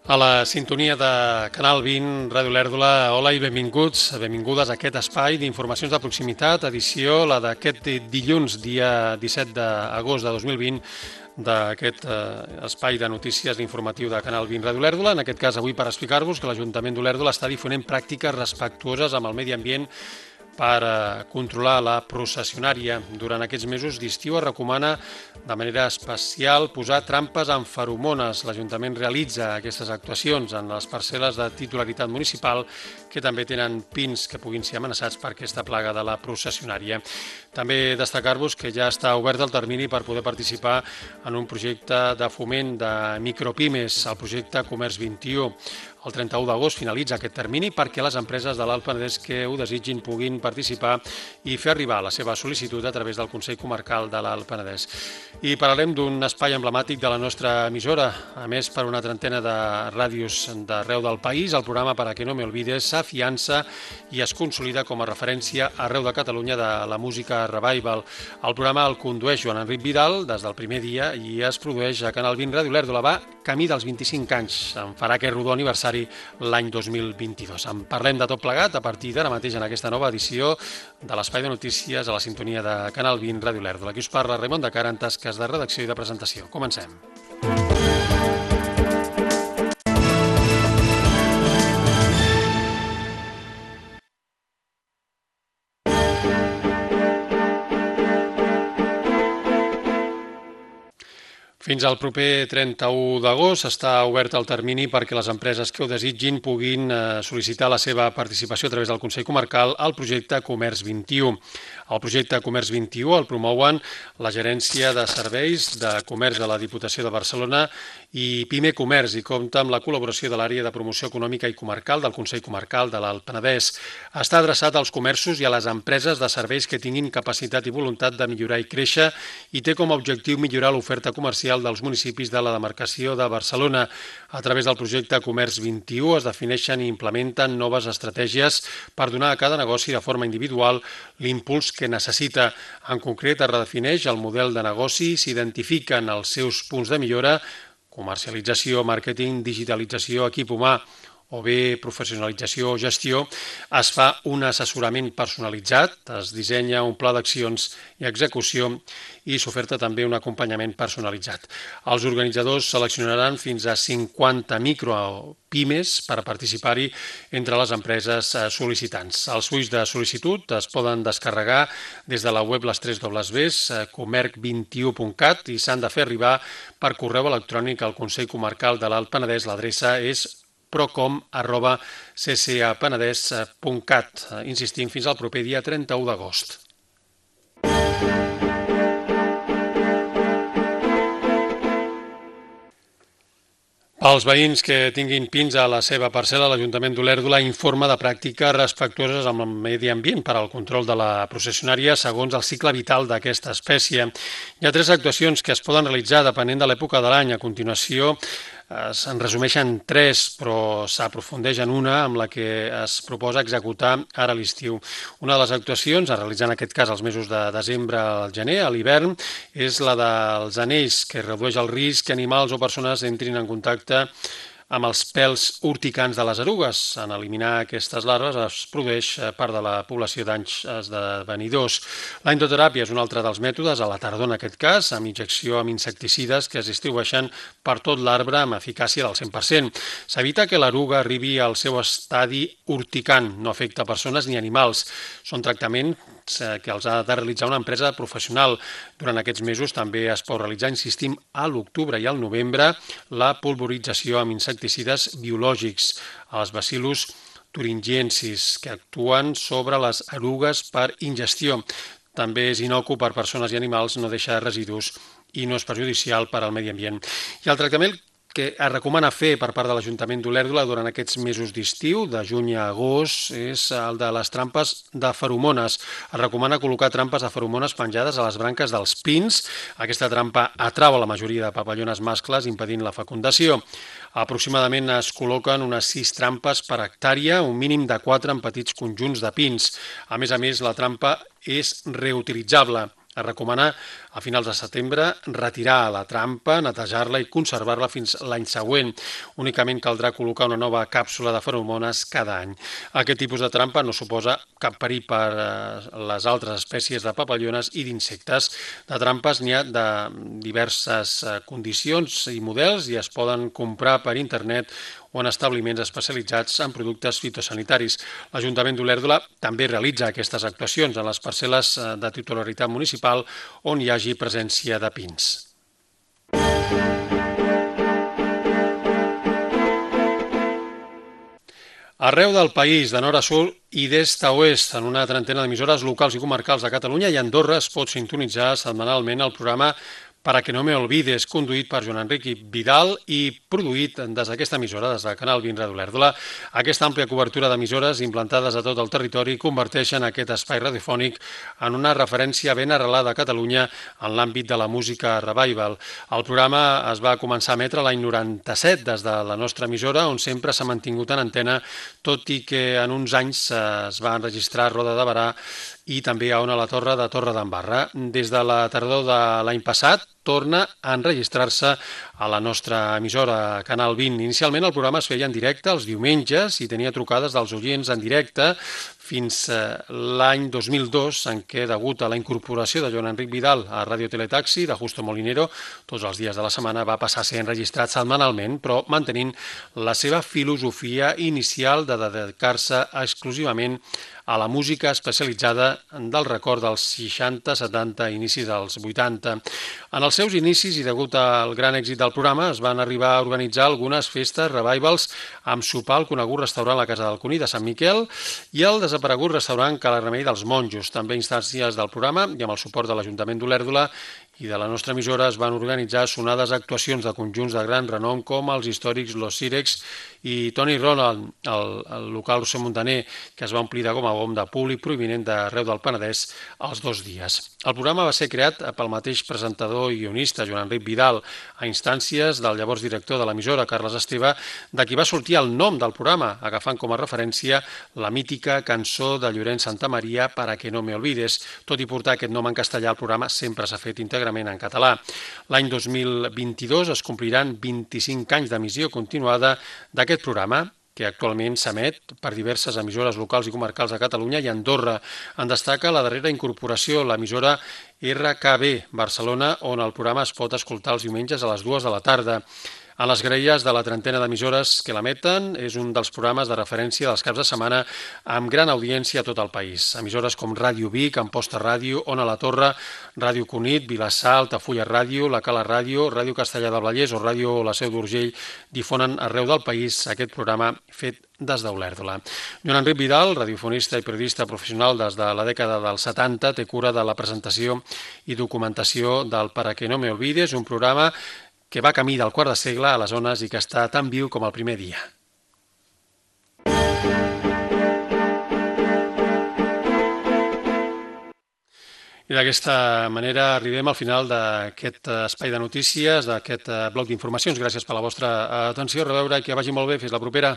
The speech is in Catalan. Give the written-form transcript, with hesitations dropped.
A la sintonia de Canal 20, Ràdio Lèrdula, hola i benvingudes a aquest espai d'informacions de proximitat, edició, la d'aquest dilluns, dia 17 d'agost de 2020, d'aquest espai de notícies informatiu de Canal 20 Ràdio Lèrdula, en aquest cas avui per explicar-vos que l'Ajuntament d'Olèrdola està difonent pràctiques respectuoses amb el medi ambient per controlar la processionària. Durant aquests mesos d'estiu es recomana de manera especial posar trampes amb feromones. L'Ajuntament realitza aquestes actuacions en les parcel·les de titularitat municipal que també tenen pins que puguin ser amenaçats per aquesta plaga de la processionària. També destacar-vos que ja està obert el termini per poder participar en un projecte de foment de micropimes, el projecte Comerç 21. El 31 d'agost finalitza aquest termini perquè les empreses de l'Alt Penedès que ho desitgin puguin participar i fer arribar la seva sol·licitud a través del Consell Comarcal de l'Alt Penedès. I parlarem d'un espai emblemàtic de la nostra emissora. A més, per una trentena de ràdios d'arreu del país, el programa Para que no me olvides s'afiança i es consolida com a referència arreu de Catalunya de la música revival. El programa el condueix Joan Enric Vidal des del primer dia i es produeix a Canal 20 Ràdio Lèrdula. Va camí dels 25 anys. En farà aquest rodó aniversari l'any 2022. En parlem de tot plegat a partir d'ara mateix en aquesta nova edició de l'Espai de Notícies a la sintonia de Canal 20 Ràdio Lèrdula. Aquí us parla Raimon de Cara en tasques de redacció i de presentació. Comencem. Fins al proper 31 d'agost està obert el termini perquè les empreses que ho desitgin puguin sol·licitar la seva participació a través del Consell Comarcal al projecte Comerç 21. El projecte Comerç 21 el promouen la Gerència de Serveis de Comerç de la Diputació de Barcelona i Pime Comerç i compta amb la col·laboració de l'àrea de promoció econòmica i comarcal del Consell Comarcal de l'Alt Penedès. Està adreçat als comerços i a les empreses de serveis que tinguin capacitat i voluntat de millorar i créixer i té com a objectiu millorar l'oferta comercial dels municipis de la demarcació de Barcelona. A través del projecte Comerç 21 es defineixen i implementen noves estratègies per donar a cada negoci de forma individual l'impuls que necessita. En concret, es redefineix el model de negoci, s'identifiquen els seus punts de millora, comercialització, màrqueting, digitalització, equip humà o bé professionalització o gestió, es fa un assessorament personalitzat, es dissenya un pla d'accions i execució i s'oferta també un acompanyament personalitzat. Els organitzadors seleccionaran fins a 50 micropimes per participar-hi entre les empreses sol·licitants. Els fulls de sol·licitud es poden descarregar des de la web les 3 comerc21.cat i s'han de fer arribar per correu electrònic al Consell Comarcal de l'Alt Penedès. L'adreça és procom@ccapenedès.cat. Insistim, fins al proper dia 31 d'agost. Els veïns que tinguin pins a la seva parcel·la, l'Ajuntament d'Olèrdola informa de pràctiques respectuoses amb el medi ambient per al control de la processionària segons el cicle vital d'aquesta espècie. Hi ha 3 actuacions que es poden realitzar depenent de l'època de l'any. A continuació, se'n resumeixen 3, però s'aprofundeix en una amb la que es proposa executar ara a l'estiu. Una de les actuacions, a realitzar en aquest cas els mesos de desembre al gener, a l'hivern, és la dels anells, que redueix el risc que animals o persones entrin en contacte amb els pèls urticants de les erugues. En eliminar aquestes larves es produeix part de la població d'anys esdevenidors. La endoteràpia és un altre dels mètodes, a la tardor en aquest cas, amb injecció amb insecticides que es distribueixen per tot l'arbre amb eficàcia del 100%. S'evita que l'eruga arribi al seu estadi urticant, no afecta persones ni animals. Són tractaments que els ha de realitzar una empresa professional. Durant aquests mesos també es pot realitzar, insistim, a l'octubre i al novembre, la pulverització amb insecticides biològics, els bacillus thuringiensis, que actuen sobre les erugues per ingestió. També és inocu per persones i animals, no deixa residus i no és perjudicial per al medi ambient. I el tractament que es recomana fer per part de l'Ajuntament d'Olèrdola durant aquests mesos d'estiu, de juny a agost, és el de les trampes de feromones. Es recomana col·locar trampes de feromones penjades a les branques dels pins. Aquesta trampa atrau a la majoria de papallones mascles, impedint la fecundació. Aproximadament es col·loquen unes 6 trampes per hectàrea, un mínim de 4 en petits conjunts de pins. A més, la trampa és reutilitzable. Es recomana a finals de setembre retirar la trampa, netejar-la i conservar-la fins l'any següent. Únicament caldrà col·locar una nova càpsula de feromones cada any. Aquest tipus de trampa no suposa cap perill per les altres espècies de papallones i d'insectes. De trampes n'hi ha de diverses condicions i models i es poden comprar per internet o en establiments especialitzats en productes fitosanitaris. L'Ajuntament d'Olèrdola també realitza aquestes actuacions en les parcel·les de titularitat municipal on hi hagi presència de pins. Arreu del país, de nord a sud i d'est a oest, en una trentena d'emissores locals i comarcals de Catalunya i Andorra es pot sintonitzar setmanalment el programa Para que no me olvides, conduït per Joan Enric Vidal i produït des d'aquesta emissora, des del canal 20 Ràdio Olèrdola. Aquesta àmplia cobertura d'emissores implantades a tot el territori converteixen aquest espai radiofònic en una referència ben arrelada a Catalunya en l'àmbit de la música revival. El programa es va començar a emetre l'any 97 des de la nostra emissora, on sempre s'ha mantingut en antena, tot i que en uns anys es va enregistrar a Roda de Berà i també a Ona la Torre de Torredembarra. Des de la tardor de l'any passat torna a enregistrar-se a la nostra emissora Canal 20. Inicialment el programa es feia en directe els diumenges i tenia trucades dels oients en directe fins l'any 2002, en què, degut a la incorporació de Joan Enric Vidal a Ràdio Teletaxi de Justo Molinero, tots els dies de la setmana va passar a ser enregistrat setmanalment, però mantenint la seva filosofia inicial de dedicar-se exclusivament a la música especialitzada del record dels 60, 70 i inicis dels 80. En els seus inicis i degut al gran èxit del programa es van arribar a organitzar algunes festes, revivals, amb sopar al conegut restaurant La Casa del Cuní de Sant Miquel i el desaparegut restaurant Cala Remei dels Monjos. També instàncies del programa i amb el suport de l'Ajuntament d'Olèrdola i de la nostra emissora es van organitzar sonades actuacions de conjunts de gran renom com els històrics Los Sirex i Tony Ronald, el local Roser Montaner, que es va omplir de gom a gom de públic provinent d'arreu del Penedès els 2 dies. El programa va ser creat pel mateix presentador i guionista, Joan Enric Vidal, a instàncies del llavors director de l'emissora, Carles Esteve, de qui va sortir el nom del programa, agafant com a referència la mítica cançó de Llorenç Santamaria, Para que no me olvides. Tot i portar aquest nom en castellà, el programa sempre s'ha fet íntegrament en català. L'any 2022 es compliran 25 anys d'emissió continuada d'aquest programa, que actualment s'emet per diverses emissores locals i comarcals de Catalunya i Andorra. En destaca la darrera incorporació, l'emissora RKB Barcelona, on el programa es pot escoltar els diumenges a les 2 de la tarda. A les grelles de la trentena d'emissores que l'emeten és un dels programes de referència dels caps de setmana amb gran audiència a tot el país. Emissores com Ràdio Vic, Amposta Ràdio, Ona la Torre, Ràdio Cunit, Vilassar, Altafulla Ràdio, La Cala Ràdio, Ràdio Castellar del Vallès o Ràdio La Seu d'Urgell difonen arreu del país aquest programa fet des d'Olèrdola. Joan Enric Vidal, radiofonista i periodista professional des de la dècada dels 70, té cura de la presentació i documentació del Para que no me olvides, un programa que va camí del quart de segle a les zones i que està tan viu com el primer dia. I d'aquesta manera arribem al final d'aquest espai de notícies, d'aquest bloc d'informacions. Gràcies per la vostra atenció. A reveure i que vagi molt bé. Fins la propera.